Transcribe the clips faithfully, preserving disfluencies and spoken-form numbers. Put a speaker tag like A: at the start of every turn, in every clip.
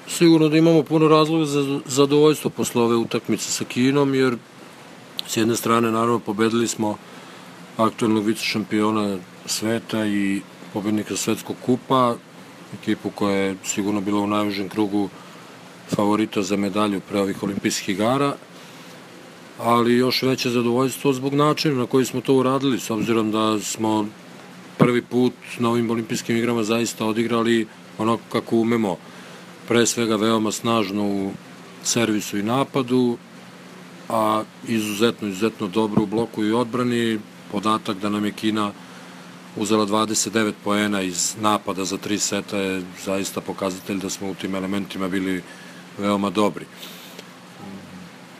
A: Sigurno da imamo puno razloga za zadovoljstvo posle ove utakmice sa Kinom, jer s jedne strane, naravno, pobedili smo aktuelnog vice šampiona sveta i pobednika svetskog kupa, ekipu koja je sigurno bila u najužem krugu favorita za medalju pre ovih olimpijskih igara, ali još veće zadovoljstvo zbog načina na koji smo to uradili, s obzirom da smo prvi put na ovim olimpijskim igrama zaista odigrali onako kako umemo, pre svega veoma snažno u servisu i napadu, a izuzetno, izuzetno dobro u bloku i odbrani. Podatak da nam je Kina uzela dvadeset devet poena iz napada za tri seta je zaista pokazatelj da smo u tim elementima bili veoma dobri.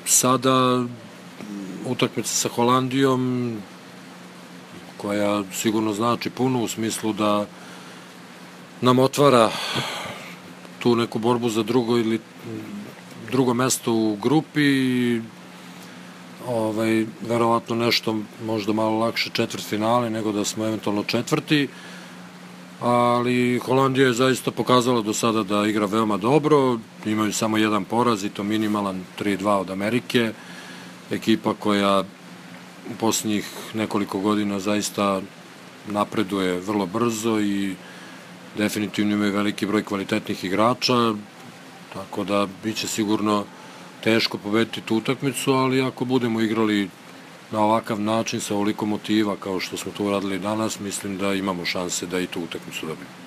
A: Sada utakmica sa Holandijom, koja sigurno znači puno u smislu da nam otvara tu neku borbu za drugo ili drugo mesto u grupi, ovaj, verovatno nešto možda malo lakše četvrtfinale nego da smo eventualno četvrti, ali Holandija je zaista pokazala do sada da igra veoma dobro, imaju samo jedan poraz i to minimalan tri dva od Amerike, ekipa koja u posljednjih nekoliko godina zaista napreduje vrlo brzo i definitivno imaju veliki broj kvalitetnih igrača, tako da biće sigurno teško pobediti tu utakmicu, ali ako budemo igrali na ovakav način, sa ovoliko motiva kao što smo to uradili danas, mislim da imamo šanse da i tu utakmicu dobijemo.